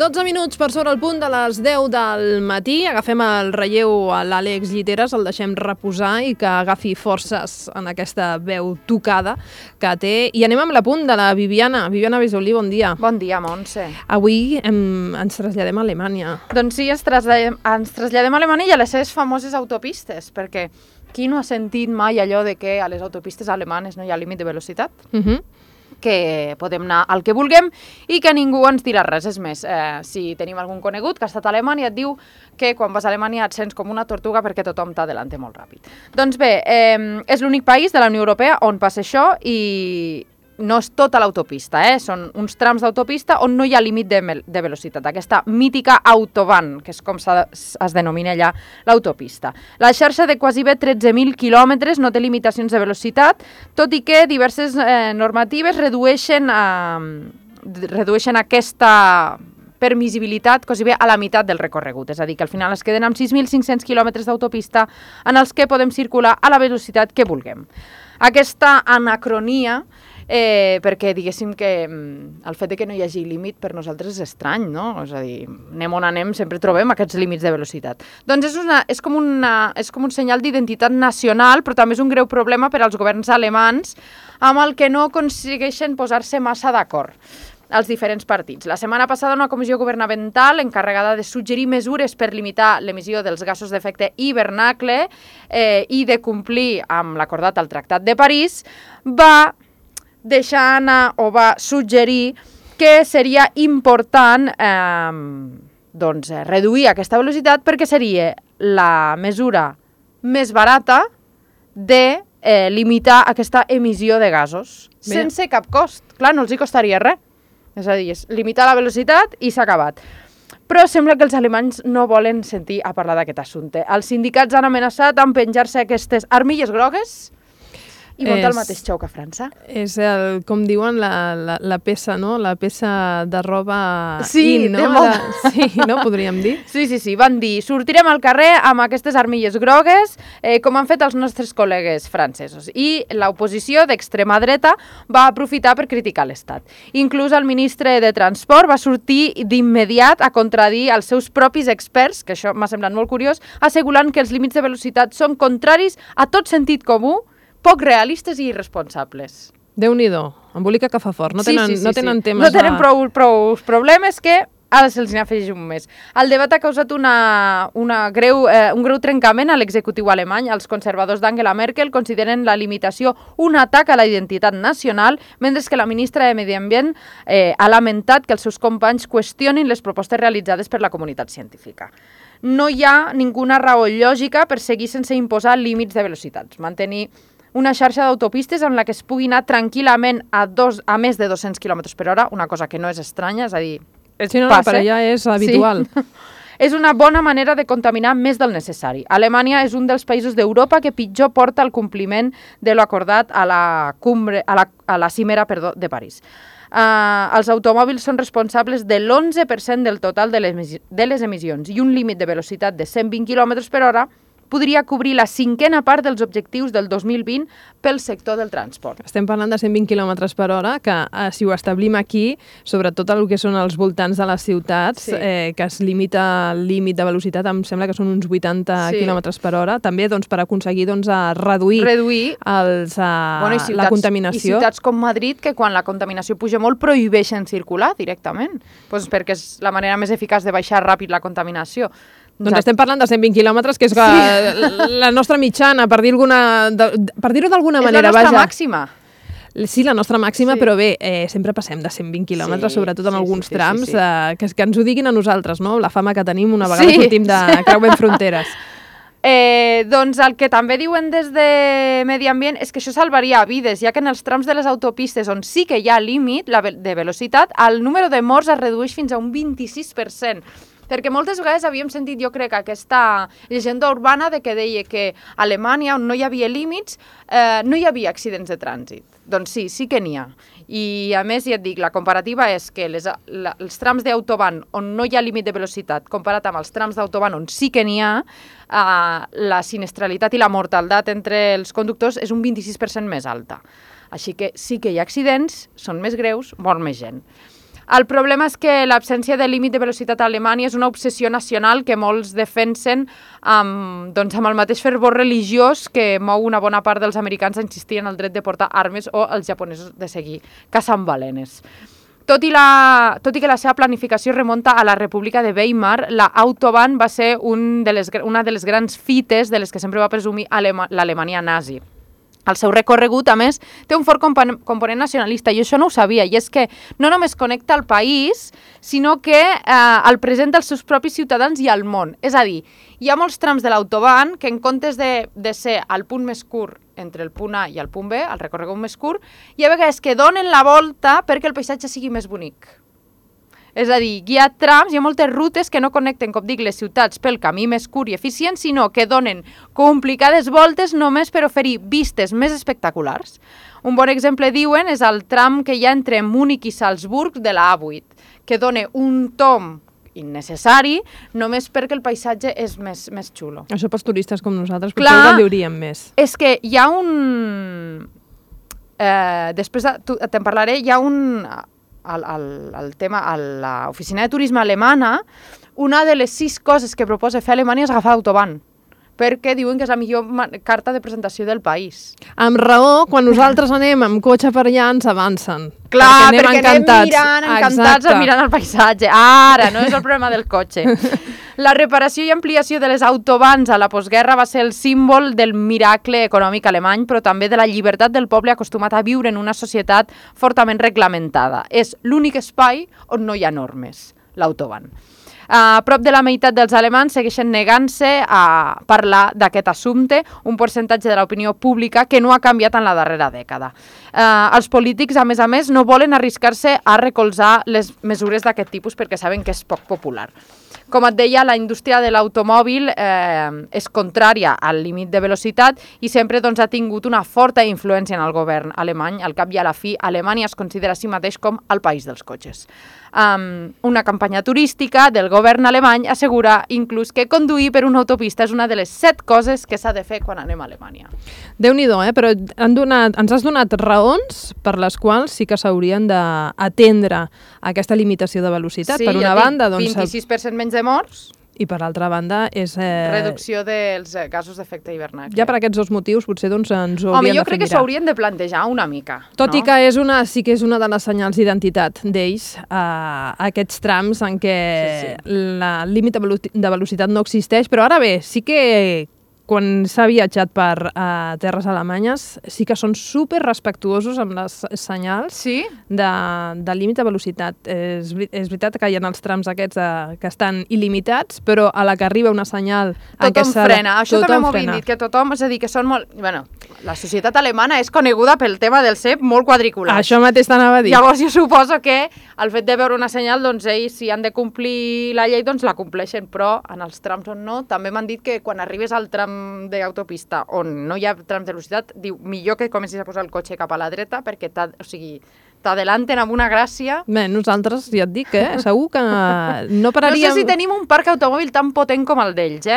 12 minuts per sobre el punt de les 10 del matí. Agafem el relleu a l'Àlex Lliteres, el deixem reposar i que agafi forces en aquesta veu tocada que té. I anem amb l'apunt de la Viviana. Viviana Bisolí, bon dia. Bon dia, Montse. Avui ens traslladem a Alemanya. Doncs sí, ens traslladem a Alemanya i a les seves famoses autopistes, perquè qui no ha sentit mai allò de que a les autopistes alemanes no hi ha límit de velocitat? Que podem anar al que vulguem i que ningú ens dirà res. És més, si tenim algun conegut que ha estat a Alemanya et diu que quan vas a Alemanya et sents com una tortuga perquè tothom t'adelanta molt ràpid. Doncs bé, és l'únic país de la Unió Europea on passa això i no és tota l'autopista, són uns trams d'autopista on no hi ha límit de velocitat, aquesta mítica autobahn, que és com es denomina allà l'autopista. La xarxa de quasi bé 13.000 quilòmetres no té limitacions de velocitat, tot i que diverses normatives redueixen aquesta permissibilitat quasi bé a la meitat del recorregut, és a dir, que al final es queden amb 6.500 quilòmetres d'autopista en els que podem circular a la velocitat que vulguem. Aquesta anacronia, perquè diguéssim que el fet de que no hi hagi límit per nosaltres és estrany, no? És a dir, anem on anem, sempre trobem aquests límits de velocitat. Doncs és com un senyal d'identitat nacional, però també és un greu problema per als governs alemans amb el que no aconsegueixen posar-se massa d'acord als diferents partits. La setmana passada una comissió governamental encarregada de suggerir mesures per limitar l'emissió dels gasos d'efecte hivernacle i de complir amb l'acordat al Tractat de París va deixar anar o va suggerir que seria important reduir aquesta velocitat perquè seria la mesura més barata de limitar aquesta emissió de gasos sense cap cost. Clar, no els hi costaria res. És a dir, és limitar la velocitat i s'ha acabat. Però sembla que els alemanys no volen sentir a parlar d'aquest assumpte. Els sindicats han amenaçat amb penjar-se aquestes armilles grogues i muntar el mateix xou que a França. És, com diuen, la peça, no? La peça de roba sí, in, no? Sí, no? Podríem dir. Sí. Van dir, sortirem al carrer amb aquestes armilles grogues, com han fet els nostres col·legues francesos. I l'oposició d'extrema dreta va aprofitar per criticar l'Estat. Inclús el ministre de Transport va sortir d'immediat a contradir els seus propis experts, que això m'ha semblat molt curiós, assegurant que els límits de velocitat són contraris a tot sentit comú, poc realistes i irresponsables. Déu-n'hi-do, embolica que fa fort. No tenen temes... No tenen prou problemes que ara se'ls n'afegeix un més. El debat ha causat un greu trencament a l'executiu alemany. Els conservadors d'Angela Merkel consideren la limitació un atac a la identitat nacional, mentre que la ministra de Medi Ambient ha lamentat que els seus companys qüestionin les propostes realitzades per la comunitat científica. No hi ha ninguna raó lògica per seguir sense imposar límits de velocitats. Mantenir una xarxa d'autopistes en la que es pugui anar tranquil·lament a més de 200 km per hora, una cosa que no és estranya, és a dir, passa. Per allà és habitual. Sí. És una bona manera de contaminar més del necessari. Alemanya és un dels països d'Europa que pitjor porta el compliment de l'acordat a la cimera de París. Els automòbils són responsables de l'11% del total de les emissions i un límit de velocitat de 120 km per hora podria cobrir la 5a part dels objectius del 2020 pel sector del transport. Estem parlant de 120 km per hora, que si ho establim aquí, sobretot el que són els voltants de les ciutats, que es limita el límit de velocitat, em sembla que són uns 80 km per hora, també per aconseguir reduir la contaminació. I ciutats com Madrid, que quan la contaminació puja molt prohibeixen circular directament, perquè és la manera més eficaç de baixar ràpid la contaminació. Doncs estem parlant de 120 quilòmetres, que és la nostra mitjana, per dir-ho d'alguna manera. És la nostra màxima. Sí, la nostra màxima, però bé, sempre passem de 120 quilòmetres, sobretot en alguns trams, que ens ho diguin a nosaltres, no? La fama que tenim una vegada sortim de creuem fronteres. Doncs el que també diuen des de Medi Ambient és que això salvaria vides, ja que en els trams de les autopistes on sí que hi ha límit de velocitat, el número de morts es redueix fins a un 26%. Perquè moltes vegades havíem sentit, jo crec, aquesta llegenda urbana de que deia que a Alemanya, on no hi havia límits, no hi havia accidents de trànsit. Doncs sí que n'hi ha. I a més, ja et dic, la comparativa és que els trams d'autobahn on no hi ha límit de velocitat, comparat amb els trams d'autobahn on sí que n'hi ha, la sinistralitat i la mortalitat entre els conductors és un 26% més alta. Així que sí que hi ha accidents, són més greus, mor més gent. El problema és que l'absència de límit de velocitat a Alemanya és una obsessió nacional que molts defensen amb el mateix fervor religiós que mou una bona part dels americans a insistir en el dret de portar armes o els japonesos de seguir caçant balenes. Tot i que la seva planificació remunta a la República de Weimar, la Autobahn va ser una de les grans fites de les que sempre va presumir l'Alemanya nazi. El seu recorregut, a més, té un fort component nacionalista, i això no ho sabia, i és que no només connecta el país, sinó que el presenta als seus propis ciutadans i al món. És a dir, hi ha molts trams de l'Autobahn que en comptes de ser el punt més curt entre el punt A i el punt B, el recorregut més curt, hi ha vegades que donen la volta perquè el paisatge sigui més bonic. És a dir, hi ha trams, hi ha moltes rutes que no connecten, com dic, les ciutats pel camí més curt i eficient, sinó que donen complicades voltes només per oferir vistes més espectaculars. Un bon exemple, diuen, és el tram que hi ha entre Múnich i Salzburg de la A8, que dona un tomb innecessari només perquè el paisatge és més xulo. Això pels turistes com nosaltres potser ho valioríem més. És que hi ha un... després te'n parlaré, hi ha un... el tema, a l'oficina de turisme alemana, una de les 6 coses que proposa fer Alemanya és agafar l'Autobahn, perquè diuen que és la millor carta de presentació del país. Amb raó, quan nosaltres anem amb cotxe per allà ens avancen. Clar, perquè anem encantats mirant el paisatge. Ara, no és el problema del cotxe. La reparació i ampliació de les autobahns a la postguerra va ser el símbol del miracle econòmic alemany, però també de la llibertat del poble acostumat a viure en una societat fortament reglamentada. És l'únic espai on no hi ha normes, l'autobahn. Prop de la meitat dels alemans segueixen negant-se a parlar d'aquest assumpte, un percentatge de l'opinió pública que no ha canviat en la darrera dècada. Els polítics, a més, no volen arriscar-se a recolzar les mesures d'aquest tipus perquè saben que és poc popular. Com et deia, la indústria de l'automòbil és contrària al límit de velocitat i sempre ha tingut una forta influència en el govern alemany. Al cap i a la fi, Alemanya es considera a si mateix com el país dels cotxes. Una campanya turística del govern alemany assegura inclús que conduir per una autopista és una de les 7 coses que s'ha de fer quan anem a Alemanya. Déu-n'hi-do, però ens has donat raons per les quals sí que s'haurien d'atendre aquesta limitació de velocitat. Sí, per una banda, 26% menys de morts. I per l'altra banda és... reducció dels gasos d'efecte hivernacle. Ja per aquests 2 motius potser ens ho hauríem de fer mirar. Home, jo crec que s'ho haurien de plantejar una mica. Tot i que sí que és una de les senyals d'identitat d'ells, aquests trams en què el límit de velocitat no existeix, però ara bé, sí que quan s'ha viatjat per terres alemanyes sí que són super respectuosos amb les senyals de límit de velocitat. És veritat que hi ha els trams aquests que estan il·limitats, però a la que arriba una senyal... Tothom frena. Això també m'ho havien dit, que tothom, és a dir, que són molt... Bueno, la societat alemana és coneguda pel tema del cep molt quadriculat. Això mateix t'anava a dir. Llavors jo suposo que el fet de veure una senyal, doncs ells, si han de complir la llei, doncs la compleixen, però en els trams on no, també m'han dit que quan arribes al tram d'autopista on no hi ha trams de velocitat, diu, millor que comencis a posar el cotxe cap a la dreta perquè t'adelanten amb una gràcia. Bé, nosaltres, ja et dic, segur que no pararíem... No sé si tenim un parc automòbil tan potent com el d'ells,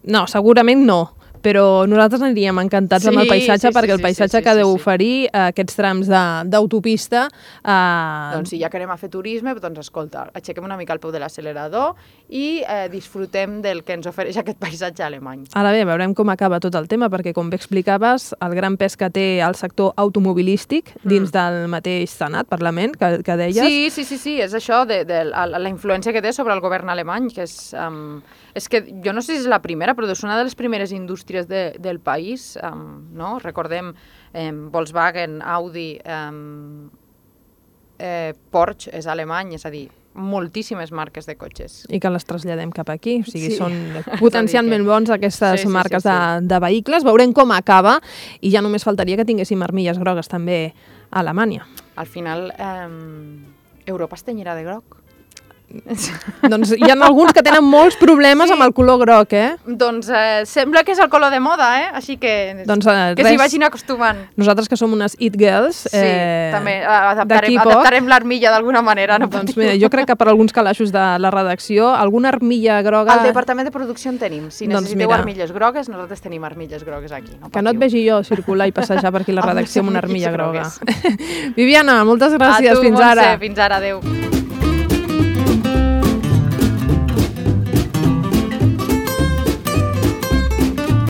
No, segurament no. Però nosaltres aniríem encantats amb el paisatge perquè el paisatge que deu oferir aquests trams d'autopista... Doncs si ja que anem a fer turisme, doncs escolta, aixequem una mica el peu de l'accelerador i disfrutem del que ens ofereix aquest paisatge alemany. Ara bé, veurem com acaba tot el tema, perquè com bé explicaves, el gran pes que té el sector automobilístic dins del mateix Senat, Parlament, que deies... Sí, és això, la influència que té sobre el govern alemany, que és que jo no sé si és la primera, però és una de les primeres indústries del país, no? Recordem Volkswagen, Audi, Porsche és alemany, és a dir, moltíssimes marques de cotxes. I que les traslladem cap aquí, o sigui, són potencialment bons aquestes marques de vehicles. Veurem com acaba i ja només faltaria que tinguéssim armilles grogues també a Alemanya. Al final, Europa es tenyirà de groc. Doncs hi ha alguns que tenen molts problemes amb el color groc, Doncs sembla que és el color de moda, Així que s'hi vagin acostumant. Nosaltres que som unes it girls, també adaptarem l'armilla d'alguna manera. Doncs mira, jo crec que per alguns calaixos de la redacció, alguna armilla groga... Al departament de producció en tenim. Si necessiteu armilles grogues, nosaltres tenim armilles grogues aquí. Que no et vegi jo circular i passejar per aquí la redacció amb una armilla groga. Viviana, moltes gràcies. Fins ara. Fins ara, adeu.